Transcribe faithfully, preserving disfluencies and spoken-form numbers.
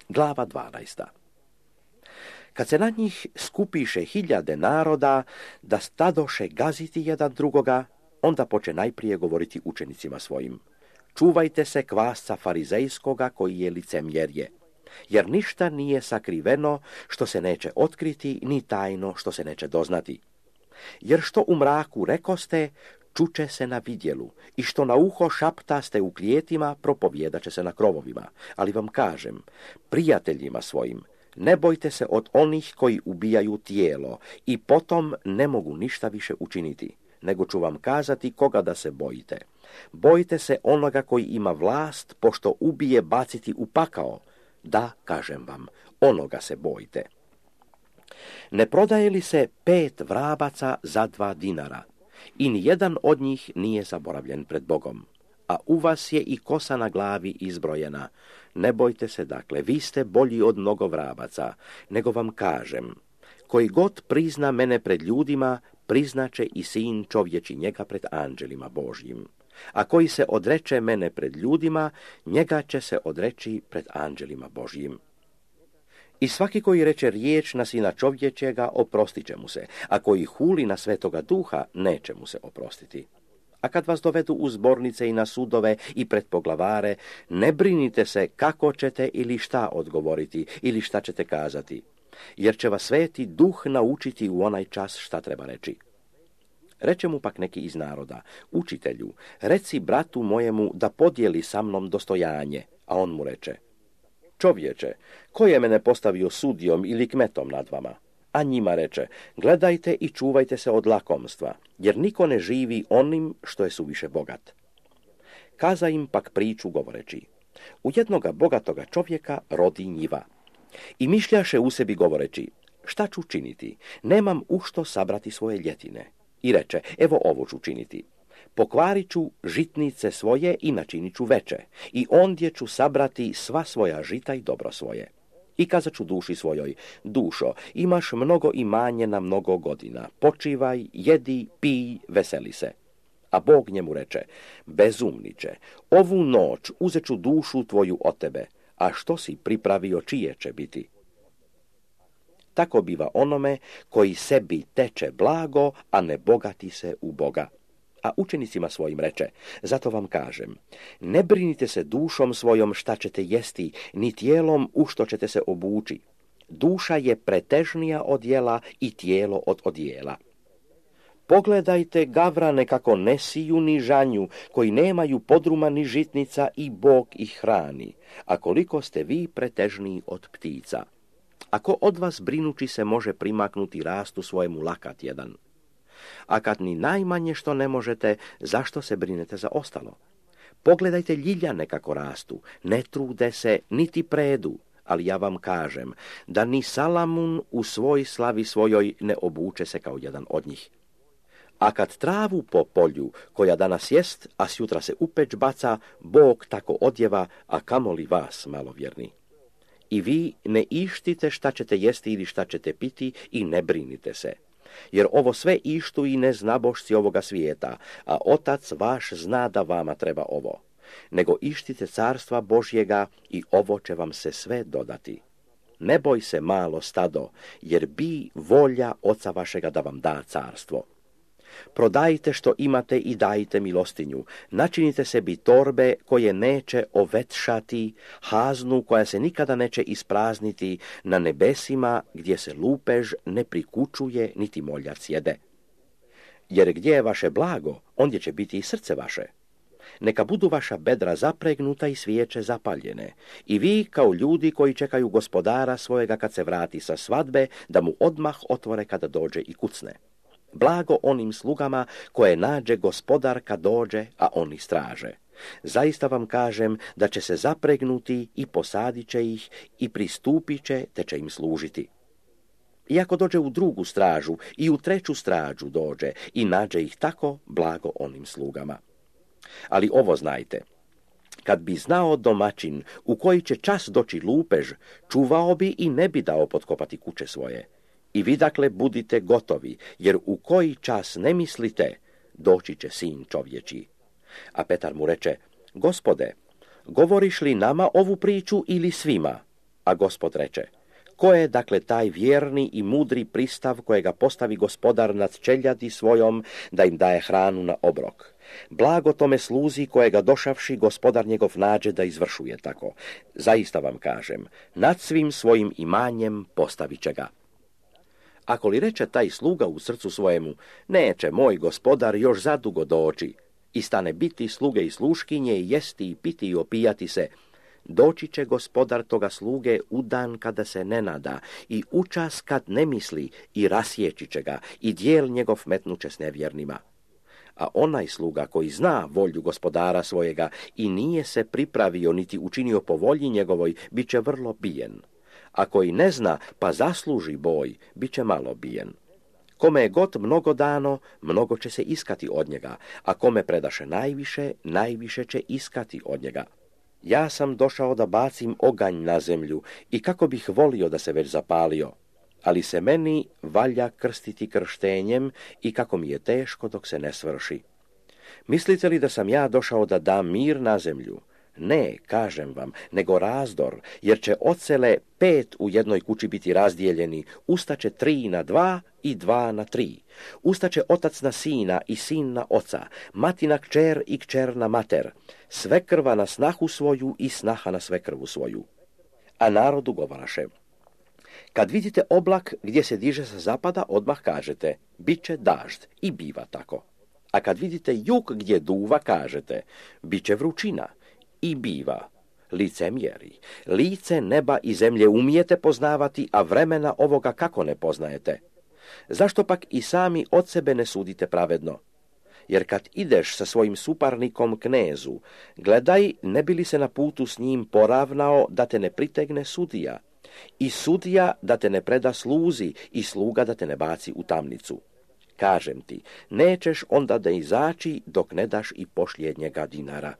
Glava dvanaesta. Kad se na njih skupiše hiljade naroda da stadoše gaziti jedan drugoga, onda poče najprije govoriti učenicima svojim. Čuvajte se kvasca farizejskoga koji je licemjerje, jer ništa nije sakriveno što se neće otkriti, ni tajno što se neće doznati. Jer što u mraku rekoste, čuče se na vidjelu, i što na uho šaptaste u klijetima, propovjedat će se na krovovima. Ali vam kažem, prijateljima svojim, ne bojte se od onih koji ubijaju tijelo i potom ne mogu ništa više učiniti, nego ću vam kazati koga da se bojite. Bojte se onoga koji ima vlast, pošto ubije baciti u pakao. Da, kažem vam, onoga se bojte. Ne prodaje li se pet vrabaca za dva dinara? I nijedan od njih nije zaboravljen pred Bogom. A u vas je i kosa na glavi izbrojena. Ne bojte se, dakle, vi ste bolji od mnogo vrabaca, nego vam kažem, koji god prizna mene pred ljudima, priznaće i sin čovječi njega pred anđelima Božjim. A koji se odreče mene pred ljudima, njega će se odreći pred anđelima Božjim. I svaki koji reče riječ na sina čovječega, oprostit će mu se, a koji huli na Svetoga Duha, neće mu se oprostiti. A kad vas dovedu u zbornice i na sudove i pred poglavare, ne brinite se kako ćete ili šta odgovoriti ili šta ćete kazati, jer će vas Sveti Duh naučiti u onaj čas šta treba reći. Reče mu pak neki iz naroda, učitelju, reci bratu mojemu da podijeli sa mnom dostojanje, a on mu reče, čovječe, ko je mene postavio sudijom ili kmetom nad vama? A njima reče, gledajte i čuvajte se od lakomstva, jer niko ne živi onim što je suviše bogat. Kaza im pak priču govoreći, u jednoga bogatoga čovjeka rodi njiva. I mišljaše u sebi govoreći, šta ću činiti, nemam u što sabrati svoje ljetine. I reče, evo ovo ću činiti. Pokvarit ću žitnice svoje i načinit ću veće, i ondje ću sabrati sva svoja žita i dobro svoje. I kazat ću duši svojoj, dušo, imaš mnogo imanje na mnogo godina, počivaj, jedi, pij, veseli se. A Bog njemu reče, bezumniče, ovu noć uzet ću dušu tvoju od tebe, a što si pripravio čije će biti? Tako biva onome koji sebi teče blago, a ne bogati se u Boga. A učenicima svojim reče, zato vam kažem, ne brinite se dušom svojom šta ćete jesti, ni tijelom u što ćete se obući. Duša je pretežnija od jela i tijelo od odjela. Pogledajte gavrane kako ne siju ni žanju, koji nemaju podruma ni žitnica i Bog ih hrani, a koliko ste vi pretežniji od ptica. Ako od vas brinući se može primaknuti rastu svojemu lakat jedan? A kad ni najmanje što ne možete, zašto se brinete za ostalo? Pogledajte ljiljane kako rastu, ne trude se, niti predu, ali ja vam kažem da ni Salamun u svoj slavi svojoj ne obuče se kao jedan od njih. A kad travu po polju, koja danas jest, a sjutra se u peć baca, Bog tako odjeva, a kamoli vas, malovjerni. I vi ne ištite šta ćete jesti ili šta ćete piti i ne brinite se. Jer ovo sve ištu i neznabošci ovoga svijeta, a Otac vaš zna da vama treba ovo. Nego ištite carstva Božjega i ovo će vam se sve dodati. Ne boj se malo stado, jer bi volja Oca vašega da vam da carstvo. Prodajte što imate i dajte milostinju. Načinite sebi torbe koje neće ovetšati, haznu koja se nikada neće isprazniti, na nebesima gdje se lupež ne prikučuje niti moljac jede. Jer gdje je vaše blago, ondje će biti i srce vaše. Neka budu vaša bedra zapregnuta i svijeće zapaljene. I vi kao ljudi koji čekaju gospodara svojega kad se vrati sa svadbe, da mu odmah otvore kada dođe i kucne. Blago onim slugama koje nađe gospodar kad dođe, a oni straže. Zaista vam kažem da će se zapregnuti i posadit će ih i pristupit će te će im služiti. I ako dođe u drugu stražu i u treću stražu dođe i nađe ih tako, blago onim slugama. Ali ovo znajte, kad bi znao domaćin u koji će čas doći lupež, čuvao bi i ne bi dao potkopati kuće svoje. I vi dakle budite gotovi, jer u koji čas ne mislite, doći će sin čovječi. A Petar mu reče, Gospode, govoriš li nama ovu priču ili svima? A Gospod reče, ko je dakle taj vjerni i mudri pristav kojega postavi gospodar nad čeljadi svojom da im daje hranu na obrok? Blago tome sluzi kojega došavši gospodar njegov nađe da izvršuje tako. Zaista vam kažem, nad svim svojim imanjem postavit će ga. Ako li reče taj sluga u srcu svojemu, neće moj gospodar još zadugo doći, i stane biti sluge i sluškinje, i jesti i piti i opijati se, doći će gospodar toga sluge u dan kada se ne nada i u čas kad ne misli, i rasjeći će ga, i dijel njegov metnuće s nevjernima. A onaj sluga koji zna volju gospodara svojega i nije se pripravio niti učinio po volji njegovoj, bit će vrlo bijen. A koji ne zna pa zasluži boj, bit će malo bijen. Kome je god mnogo dano, mnogo će se iskati od njega, a kome predaše najviše, najviše će iskati od njega. Ja sam došao da bacim oganj na zemlju i kako bih volio da se već zapalio, ali se meni valja krstiti krštenjem i kako mi je teško dok se ne svrši. Mislite li da sam ja došao da dam mir na zemlju? Ne, kažem vam, nego razdor, jer će ocele pet u jednoj kući biti razdijeljeni, ustaće tri na dva i dva na tri. Ustaće otac na sina i sin na oca, mati na kćer i kćer na mater, svekrva na snahu svoju i snaha na svekrvu svoju. A narodu govaraše, kad vidite oblak gdje se diže sa zapada, odmah kažete, bit će dažd, i biva tako. A kad vidite jug gdje duva, kažete, bit će vrućina, i biva. Licemjeri, lice neba i zemlje umijete poznavati, a vremena ovoga kako ne poznajete? Zašto pak i sami od sebe ne sudite pravedno? Jer kad ideš sa svojim suparnikom knezu, gledaj ne bi li se na putu s njim poravnao da te ne pritegne sudija, i sudija da te ne preda sluzi, i sluga da te ne baci u tamnicu. Kažem ti, nećeš onda da izaći dok ne daš i posljednjega dinara.